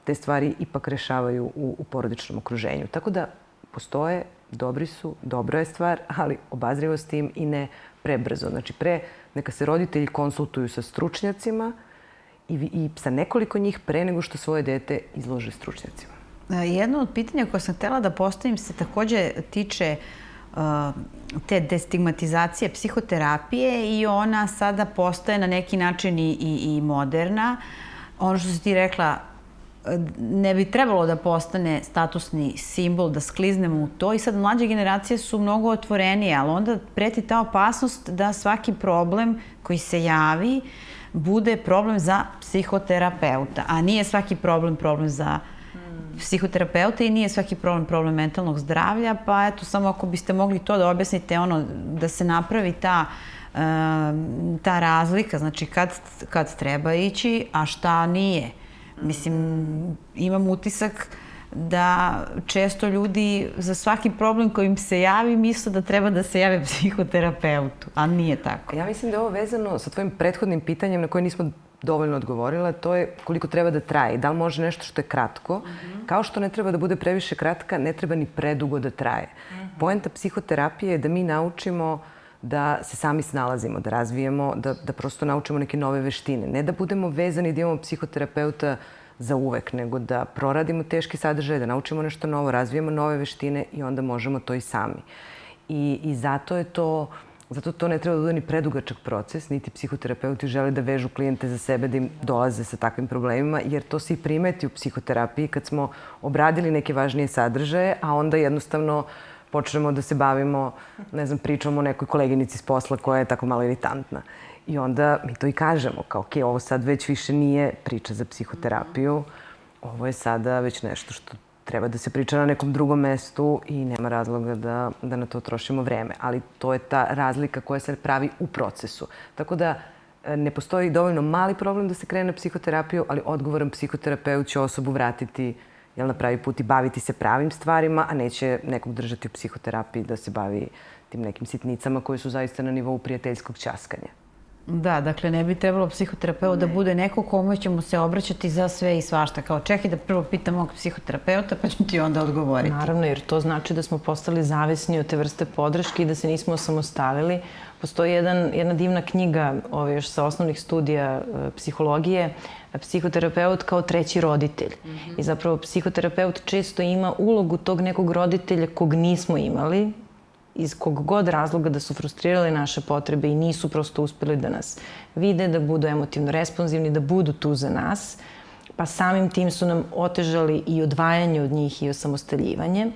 te stvari ipak rešavaju u porodičnom okruženju. Tako da postoje, dobri su, dobra je stvar, ali obazrivo s tim i ne prebrzo. Znači, neka se roditelji konsultuju sa stručnjacima i sa nekoliko njih pre nego što svoje dete izlože stručnjacima. Jedno od pitanja koje sam htjela da postavim se takođe tiče te destigmatizacije psihoterapije i ona sada postaje na neki način i moderna. Ono što si ti rekla, ne bi trebalo da postane statusni simbol, da skliznemo u to i sad mlađe generacije su mnogo otvorenije, ali onda preti ta opasnost da svaki problem koji se javi bude problem za psihoterapeuta, a nije svaki problem za psihoterapeuta i nije svaki problem mentalnog zdravlja, pa eto, samo ako biste mogli to da objasnite, da se napravi ta razlika, znači kad treba ići, a šta nije. Mislim, imam utisak da često ljudi za svaki problem koji im se javi misle da treba da se jave psihoterapeutu, a nije tako. Ja mislim da je ovo vezano sa tvojim prethodnim pitanjem na koje nismo dovoljno odgovorila, to je koliko treba da traje. Da li može nešto što je kratko, kao što ne treba da bude previše kratka, ne treba ni predugo da traje. Poenta psihoterapije je da mi naučimo da se sami snalazimo, da razvijemo, da prosto naučimo neke nove veštine. Ne da budemo vezani da imamo psihoterapeuta za uvek, nego da proradimo teški sadržaj, da naučimo nešto novo, razvijemo nove veštine i onda možemo to i sami. I zato to ne treba da bude ni predugačak proces, niti psihoterapeuti žele da vežu klijente za sebe, da im dolaze sa takvim problemima, jer to se i primeti u psihoterapiji kad smo obradili neke važnije sadržaje, a onda jednostavno počnemo da se bavimo, ne znam, pričom o nekoj koleginici s posla koja je tako malo iritantna. I onda mi to i kažemo, kao ok, ovo sad već više nije priča za psihoterapiju, ovo je sada već nešto što treba da se priča na nekom drugom mestu i nema razloga da na to trošimo vreme. Ali to je ta razlika koja se pravi u procesu. Tako da ne postoji dovoljno mali problem da se krene na psihoterapiju, ali odgovoran psihoterapeut će osobu vratiti na pravi put i baviti se pravim stvarima, a neće nekog držati u psihoterapiji da se bavi tim nekim sitnicama koje su zaista na nivou prijateljskog ćaskanja. Da, dakle, ne bi trebalo psihoterapeut da bude neko kome ćemo se obraćati za sve i svašta. Kao čekaj da prvo pitam mog psihoterapeuta pa ću ti onda odgovoriti. Naravno, jer to znači da smo postali zavisni od te vrste podrške i da se nismo osamostalili. Postoji jedna divna knjiga još sa osnovnih studija psihologije, psihoterapeut kao treći roditelj. I zapravo psihoterapeut često ima ulogu tog nekog roditelja kog nismo imali, iz kog god razloga da su frustrirali naše potrebe i nisu prosto uspeli da nas vide, da budu emotivno responsivni, da budu tu za nas, pa samim tim su nam otežali i odvajanje od njih i osamostaljivanje.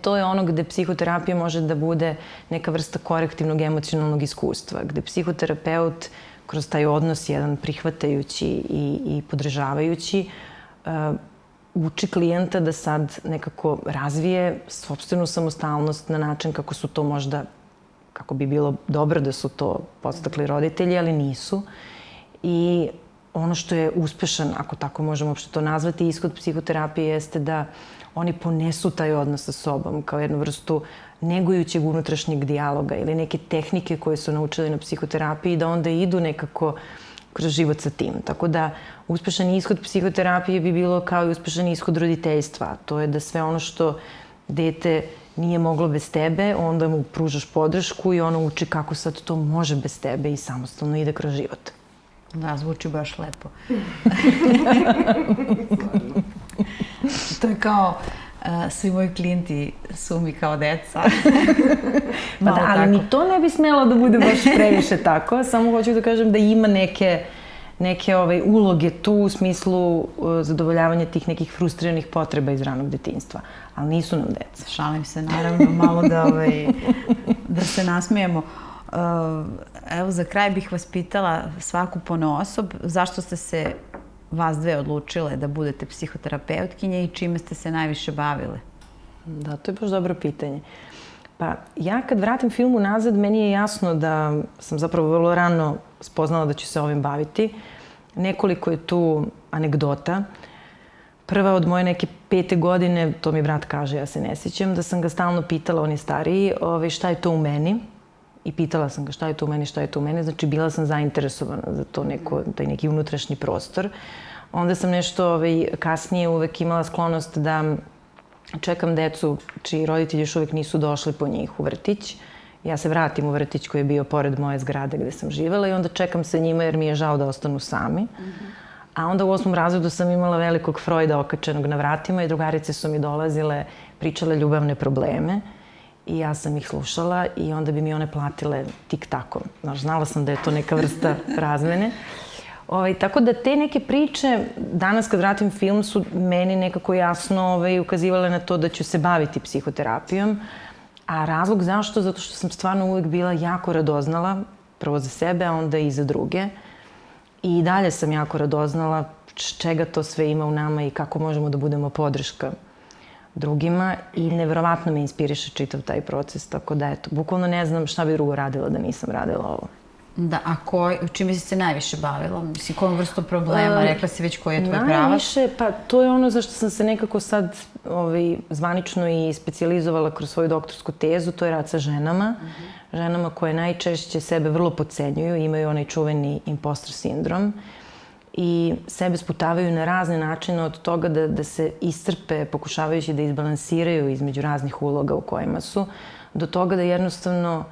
To je ono gde psihoterapija može da bude neka vrsta korektivnog emocionalnog iskustva, gde psihoterapeut kroz taj odnos jedan prihvatajući i podržavajući uči klijenta da sad nekako razvije sopstvenu samostalnost na način kako su to možda, kako bi bilo dobro da su to podstakli roditelji, ali nisu. I ono što je uspešan, ako tako možemo uopšte to nazvati, ishod psihoterapije jeste da oni ponesu taj odnos sa sobom kao jednu vrstu negujućeg unutrašnjeg dijaloga ili neke tehnike koje su naučili na psihoterapiji da onda idu nekako kroz život sa tim. Tako da uspešan ishod psihoterapije bi bilo kao i uspešan ishod roditeljstva. To je da sve ono što dete nije moglo bez tebe, onda mu pružaš podršku i ono uči kako sad to može bez tebe i samostalno ide kroz život. Da, zvuči baš lepo. To je kao svi moji klijenti su mi kao deca. Pa da, ali ni to ne bi smelo da bude baš previše tako. Samo hoću da kažem da ima neke uloge tu u smislu zadovoljavanja tih nekih frustriranih potreba iz ranog detinjstva. Ali nisu nam deca. Šalim se, naravno, malo da se nasmijemo. Evo, za kraj bih vas pitala svaku ponaosob, zašto ste se vas dve odlučile da budete psihoterapeutkinje i čime ste se najviše bavile? Da, to je baš dobro pitanje. Pa ja kad vratim film unazad, meni je jasno da sam zapravo vrlo rano spoznala da ću se ovim baviti. Nekoliko je tu anegdota. Prva od moje neke 5. godine, to mi brat kaže, ja se ne sjećam, da sam ga stalno pitala, on je stariji, šta je to u meni? I pitala sam ga šta je to u meni, šta je to u meni. Znači, bila sam zainteresovana za to taj neki unutrašnji prostor. Onda sam nešto kasnije uvek imala sklonost da čekam decu čiji roditelji još uvek nisu došli po njih u vrtić. Ja se vratim u vrtić koji je bio pored moje zgrade gde sam živela i onda čekam sa njima jer mi je žao da ostanu sami. A onda u 8. razredu sam imala velikog Freuda okačenog na vratima i drugarice su mi dolazile, pričale ljubavne probleme. I ja sam ih slušala i onda bi mi one platile tik-takom. Znala sam da je to neka vrsta razmene. Tako da te neke priče, danas kad vratim film, su meni nekako jasno ukazivale na to da ću se baviti psihoterapijom. A razlog zašto? Zato što sam stvarno uvek bila jako radoznala, prvo za sebe, a onda i za druge. I dalje sam jako radoznala čega to sve ima u nama i kako možemo da budemo podrška drugima i neverovatno me inspiriše čitav taj proces, tako da eto, bukvalno ne znam šta bi drugo radila da nisam radila ovo. Da, a čime si se najviše bavila? Mislim, kojom vrstom problema? Rekla si već koji je tvoj pravac? Najviše, pa to je ono zašto sam se nekako sad zvanično i specijalizovala kroz svoju doktorsku tezu, to je rad sa ženama. Ženama koje najčešće sebe vrlo podcenjuju, imaju onaj čuveni impostor sindrom i sebe sputavaju na razne načine od toga da se iscrpe pokušavajući da izbalansiraju između raznih uloga u kojima su, do toga da jednostavno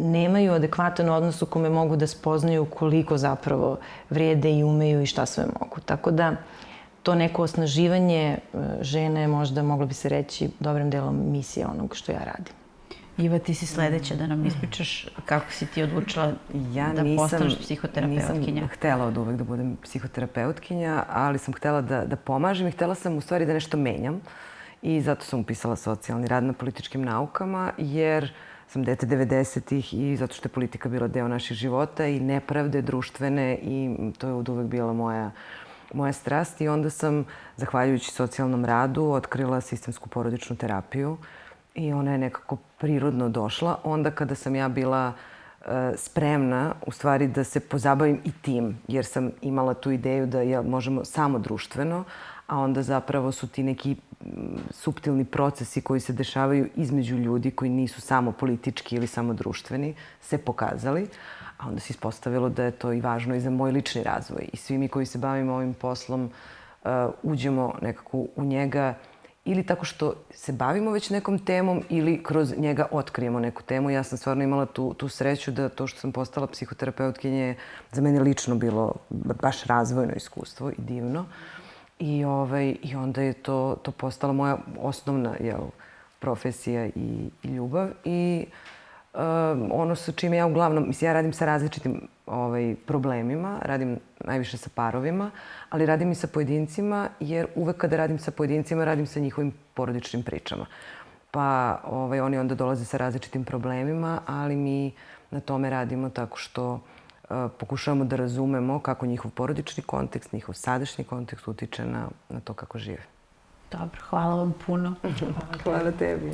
nemaju adekvatan odnos u kome mogu da spoznaju koliko zapravo vrede i umeju i šta sve mogu. Tako da to neko osnaživanje žene je možda, moglo bi se reći, dobrim delom misije onog što ja radim. Iva, ti si sledeća da nam ispričaš kako si ti odlučila da postaneš psihoterapeutkinja. Nisam htela od uvek da budem psihoterapeutkinja, ali sam htela da pomažem i htela sam u stvari da nešto menjam. I zato sam upisala socijalni rad na političkim naukama, jer sam dete 90-ih i zato što je politika bila deo naših života i nepravde društvene i to je od uvek bila moja strast. I onda sam, zahvaljujući socijalnom radu, otkrila sistemsku porodičnu terapiju i ona je nekako prirodno došla. Onda kada sam ja bila spremna, u stvari, da se pozabavim i tim, jer sam imala tu ideju da možemo samo društveno, a onda zapravo su ti neki suptilni procesi koji se dešavaju između ljudi koji nisu samo politički ili samo društveni, se pokazali. A onda se ispostavilo da je to i važno i za moj lični razvoj. I svi mi koji se bavimo ovim poslom uđemo nekako u njega ili tako što se bavimo već nekom temom ili kroz njega otkrijemo neku temu. Ja sam stvarno imala tu sreću da to što sam postala psihoterapeutkinja je za mene lično bilo baš razvojno iskustvo i divno. I onda je to postala moja osnovna profesija i ljubav. I ono sa čime ja uglavnom, mislim, ja radim sa različitim problemima, radim najviše sa parovima, ali radim i sa pojedincima, jer uvek kada radim sa pojedincima, radim sa njihovim porodičnim pričama. Pa oni onda dolaze sa različitim problemima, ali mi na tome radimo tako što pokušavamo da razumemo kako njihov porodični kontekst, njihov sadašnji kontekst utiče na to kako žive. Dobro, hvala vam puno. Hvala tebi.